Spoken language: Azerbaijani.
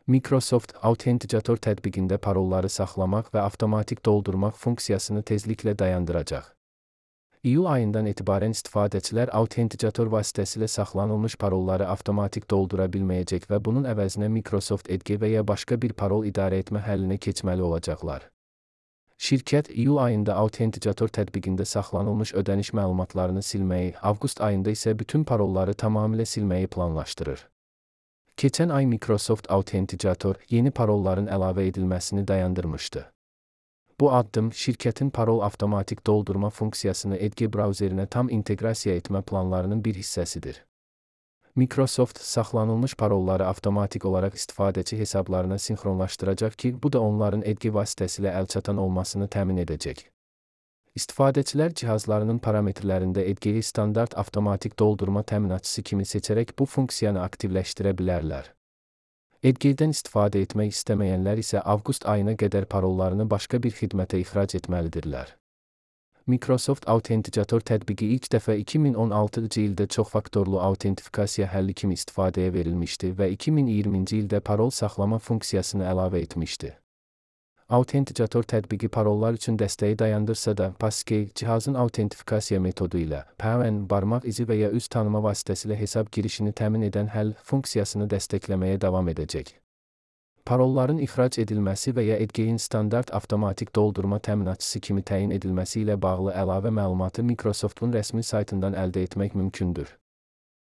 Microsoft Authenticator tətbiqində parolları saxlamaq və avtomatik doldurmaq funksiyasını tezliklə dayandıracaq. İyul ayından etibarən istifadəçilər Authenticator vasitəsilə saxlanılmış parolları avtomatik doldura bilməyəcək və bunun əvəzinə Microsoft Edge və ya başqa bir parol idarə etmə həllinə keçməli olacaqlar. Şirkət iyul ayında Authenticator tətbiqində saxlanılmış ödəniş məlumatlarını silməyi, avqust ayında isə bütün parolları tamamilə silməyi planlaşdırır. Keçən ay Microsoft Authenticator yeni parolların əlavə edilməsini dayandırmışdı. Bu addım şirkətin parol avtomatik doldurma funksiyasını Edge brauzerinə tam inteqrasiya etmə planlarının bir hissəsidir. Microsoft saxlanılmış parolları avtomatik olaraq istifadəçi hesablarına sinxronlaşdıracaq ki, bu da onların Edge vasitəsilə əlçatan olmasını təmin edəcək. İstifadəçilər cihazlarının parametrlərində Edge'yi standart avtomatik doldurma təminatçısı kimi seçərək bu funksiyanı aktivləşdirə bilərlər. Edge'dən istifadə etmək istəməyənlər isə avqust ayına qədər parollarını başqa bir xidmətə ixrac etməlidirlər. Microsoft Authenticator tətbiqi ilk dəfə 2016-cı ildə çoxfaktorlu autentifikasiya həlli kimi istifadəyə verilmişdi və 2020-ci ildə parol saxlama funksiyasını əlavə etmişdi. Authenticator tətbiqi parollar üçün dəstəyi dayandırsa da, Passkey cihazın autentifikasiya metodu ilə PAN barmaq izi və ya üz tanıma vasitəsilə hesab girişini təmin edən həll funksiyasını dəstəkləməyə davam edəcək. Parolların ixrac edilməsi və ya Edge'in standart avtomatik doldurma təminatçısı kimi təyin edilməsi ilə bağlı əlavə məlumatı Microsoft'un rəsmi saytından əldə etmək mümkündür.